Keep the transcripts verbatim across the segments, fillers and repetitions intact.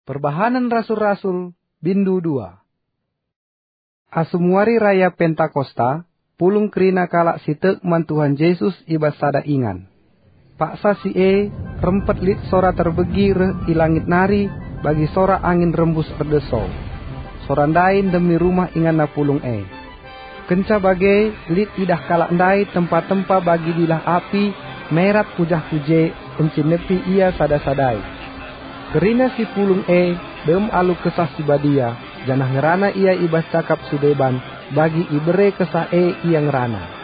Perbahanen Rasul-Rasul, bindu dua. Asum wari raya Pentakosta, pulung kerina kalak si tek man Tuhan Jesus i bas sada ingan. Paksa si e, rempet lit sora terbegi reh i langit nari bagi sora angin rembus erdeso. Sora ndai ndemi rumah inganna pulung e. Kenca bage, lit idah kalak ndai tempa-tempa bagi dilah api, merat ku jah ku je, encinepi ia sada-sadai. Kerina si pulung e dem alu Kesah Si Badia, janah ngerana ia i bas cakap si deban, bagi ibere Kesah e ia ngerana.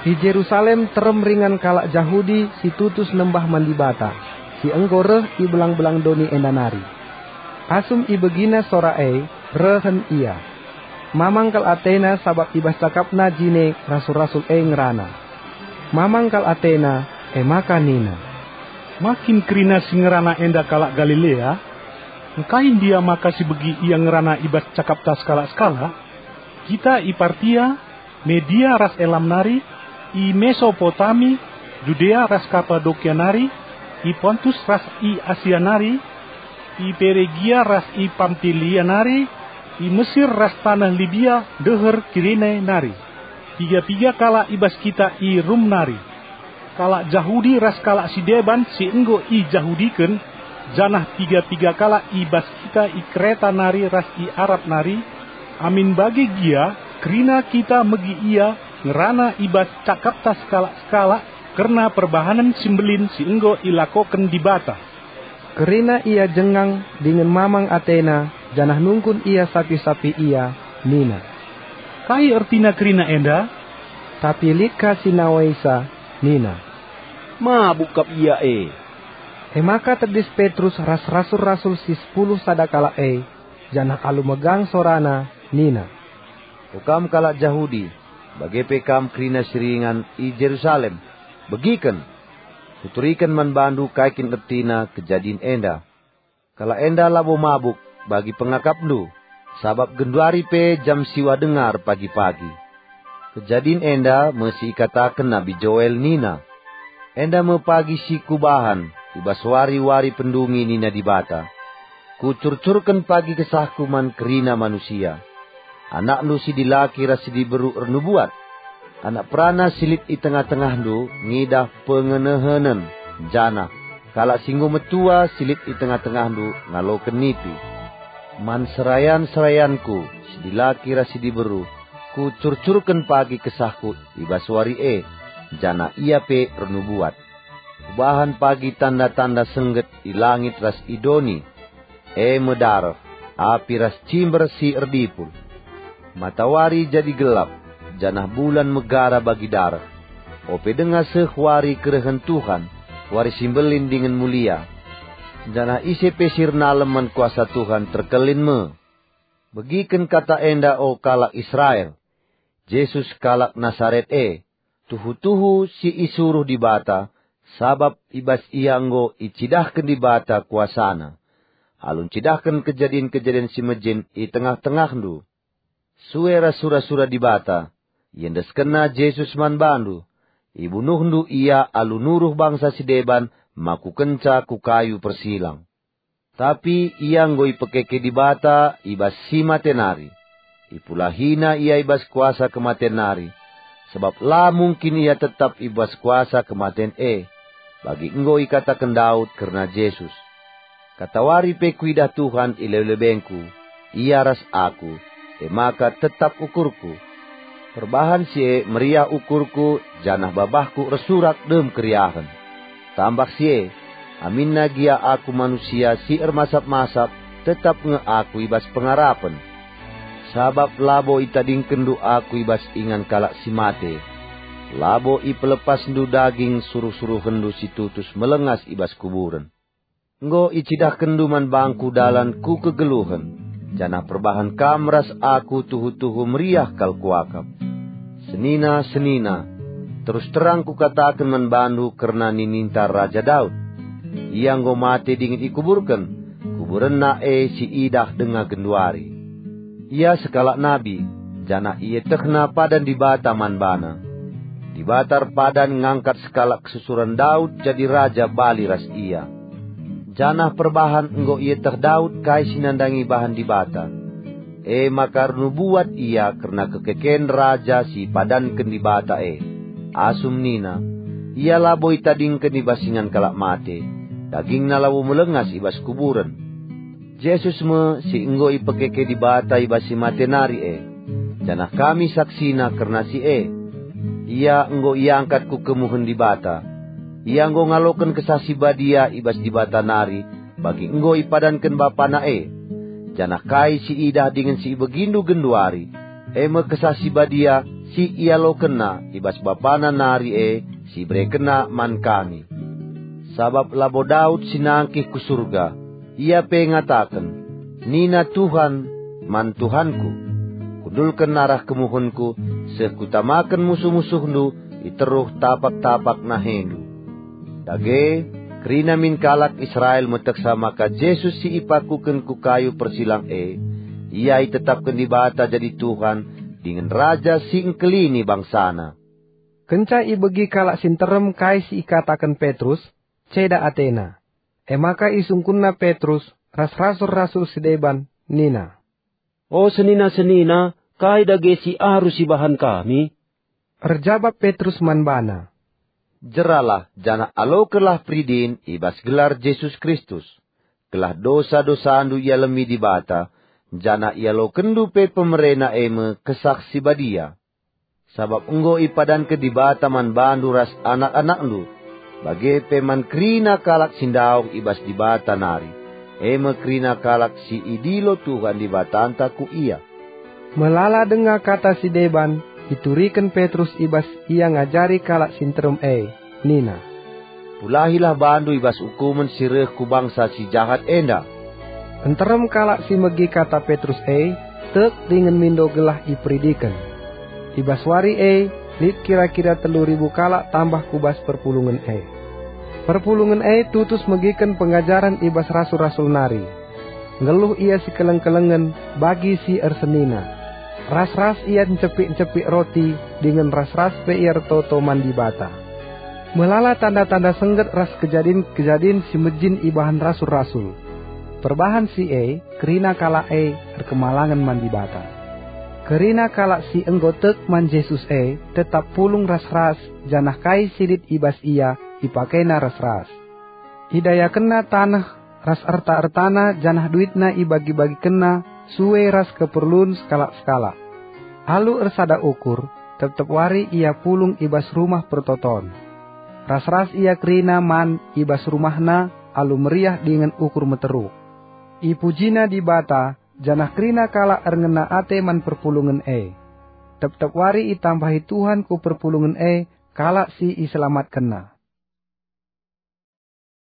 I Jerusalem terem ringan kalak Jahudi si tutus nembah man Dibata, si enggo reh i belang-belang doni enda nari. Asum ibegina sora e, rehen ia. Mamang kal atena sabap i bas cakapna jine rasul-rasul e ngerana. Mamang kal atena, e maka nina, "Ma kin kerina si ngerana enda kalak Galilea? Engkai ndia maka sibegi ia ngerana i bas cakapta sekalak-sekalak? Kita i Partia, Media ras Elam nari, i Mesopotami, Judea ras Kapadokia nari, i Pontus ras i Asia nari, i Peregia ras i Pampilia nari, i Mesir ras taneh Libia deher Kirene nari. Piga-piga kalak i bas kita i Rum nari. Kalak Jahudi ras kalak si deban si enggo ijahudiken, janah piga-piga kalak i bas kita i Kreta nari ras i Arab nari, amin bage gia kerina kita megi ia ngerana i bas cakapta sekalak-sekalak kerna perbahanen si mbelin si enggo ilakoken Dibata." Kerina ia jengang dingen mamang atena, janah nungkun ia sapi-sapi ia, nina, "Kai ertina kerina enda?" Tapi lit ka si nawaisa, nina, "Mabuk kap ia e." E maka tedis Petrus ras rasul-rasul si sepuluh sada kalak e, janah alu megang sorana, nina, "O kam kalak Jahudi, bage pe kam kerina si ringan i Jerusalem, begiken! Kuturiken man bandu kai kin ertina kejadin enda. Kalak enda labo mabuk bagi pengakapndu, sabap genduari pe jam siwah denga erpagi-pagi. Kejadin enda me si ikataken Nabi Joel nina, 'Enda me pagi si Kubahan i bas wari-wari pendungi,' nina Dibata. 'Kucurcurken pagi KesahKu man kerina manusia. Anakndu si dilaki ras si diberu ernubuat. Anak perana si lit i tengah-tengahndu ngidah pengenehenen, janah kalak si enggo metua si lit i tengah-tengahndu ngaloken nipi. Man serayan-serayanKu si dilaki ras si diberu, Kucurcurken pagi KesahKu i bas wari e, janah ia pe ernubuat. Kubahan pagi tanda-tanda sengget i langit ras i doni, e me dareh, api ras cimber si erdipul. Matawari jadi gelap, janah bulan megara bagi dareh. Ope denga seh wari kerehen Tuhan, wari si mbelin dingen mulia. Janah ise pe si ernalem man kuasa Tuhan terkelin me. Begiken kata enda, o kalak Israel, Jesus kalak Nasaret e, tuhu-tuhu si isuruh Dibata, sabap i bas IA enggo icidahken Dibata kuasaNa, alu ncidahken kejadin-kejadin si mejin i tengah-tengahndu. Sue ras sura-sura Dibata, iendeskenNa Jesus man bandu, ibunuhndu IA alu nuruh bangsa si deban makukenca ku kayu persilang. Tapi IA enggo ipekeke Dibata i bas si mate nari. IpulahiNa IA i bas kuasa kematen nari, sabap la mungkin IA tetap i bas kuasa kematen e, bagi enggo ikataken Daud kerna Jesus, "Katawari pe kuidah Tuhan i lebe-lebengku, IA ras aku, e maka tetap ukurku. Perbahan si e meriah ukurku, janah babahku ersurak dem keriahen." Tambah si e, aminna gia aku manusia si ermasap-masap, tetap nge aku i bas pengarapen. Sabap labo itadingkenndu aku i bas ingan kalak si mate, labo ipelepasndu daging suruh-suruhenndu si tutus melengas i bas kuburen. Enggo icidahkenndu man bangku dalan ku kegeluhen, janah perbahan kam ras aku tuhu-tuhu meriah kal kuakap. Senina-senina, terus terang kukataken man bandu kerna nininta Raja Daud. Ia enggo mate dingen ikuburken, kuburenna e siidah denga genduari. Ia sekalak nabi, janah ietehna padan Dibata man bana. Dibata erpadan ngangkat sekalak kesusuren Daud jadi raja bali ras ia. Janah perbahan enggo ieteh Daud kai si nandangi bahan Dibata. E maka ernubuat ia kerna kekeken Raja si ipadanken Dibata e, asum nina, "Ia labo itadingken i bas ingan kalak mate, dagingna labo melengas i bas kuburen." Jesus me si enggo ipekeke Dibata i bas si mate nari e, janah kami saksina kerna si e. Ia enggo iangkat ku kemuhen Dibata. Ia enggo ngaloken Kesah Si Badia i bas Dibata nari, bagi enggo ipadanken BapaNa e. Janah kai si idah dingen si ibegindu genduari, e me Kesah Si Badia si ialokenNa i bas BapaNa nari e si iberekenNa man kami. Sabap labo Daud si nangkih ku Surga, ia pe ngataken, "Nina Tuhan man Tuhanku, 'Kundulken arah kemuhenKu, seh Kutamaken musuh-musuhNdu i teruh tapak-tapak naheNdu.'" Dage, kerina min kalak Israel metehsa maka Jesus si ipakuken ku kayu persilang e, Ia itetapken Dibata jadi Tuhan dingen Raja si engkelini bangsaNa. Kenca ibegi kalak si nterem kai si ikataken Petrus, ceda atena. E maka isungkunna Petrus ras rasul-rasul si deban nina, "O senina-senina, kai dage si arus ibahan kami?" Erjabap Petrus man bana, "Jeralah janah alokenlah peridin i bas gelar Jesus Kristus, gelah dosa-dosandu ialemi Dibata, janah ialokenndu pe pemereNa e me Kesah Si Badia. Sabap enggo ipadanken Dibata man bandu ras anak-anakndu, bage pe man kerina kalak si ndauh i bas Dibata nari, e me kerina kalak si idilo Tuhan Dibatanta ku Ia." Melala denga kata si deban, ituriken Petrus i bas ia ngajari kalak si nterem e, nina, "Pulahilah bandu i bas ukumen si reh ku bangsa si jahat enda." Nterem kalak si megi kata Petrus e tek dingen mindo gelah iperidiken. I bas wari e lit kira-kira telu ribu kalak tambah ku bas perpulungen e. Perpulungen e tutus megiken pengajaren i bas rasul-rasul nari. Nggeluh ia sikeleng-kelengen bagi si ersenina. Ras-ras ia ncepik-ncepik roti dingen ras-ras pe ia ertoto man Dibata. Melala tanda-tanda sengget ras kejadin-kejadin si mejin ibahan rasul-rasul. Perbahan si e, kerina kalak e erkemalangen man Dibata. Kerina kalak si enggo tek man Jesus e tetap pulung ras-ras, janah kai si lit i bas ia ipakena ras-ras. Idayakenna taneh ras erta-ertana janah duitna ibagi-bagikenna sue ras keperlun sekalak-sekalak. Alu ersada ukur, tep-tep wari ia pulung i bas Rumah Pertoton. Ras-ras ia kerina man i bas rumahna alu meriah dingen ukur meteruk. Ipujina Dibata, janah kerina kalak erngena ate man perpulungen e. Tep-tep wari itambahi Tuhan ku perpulungen e kalak si iselamatkenNa.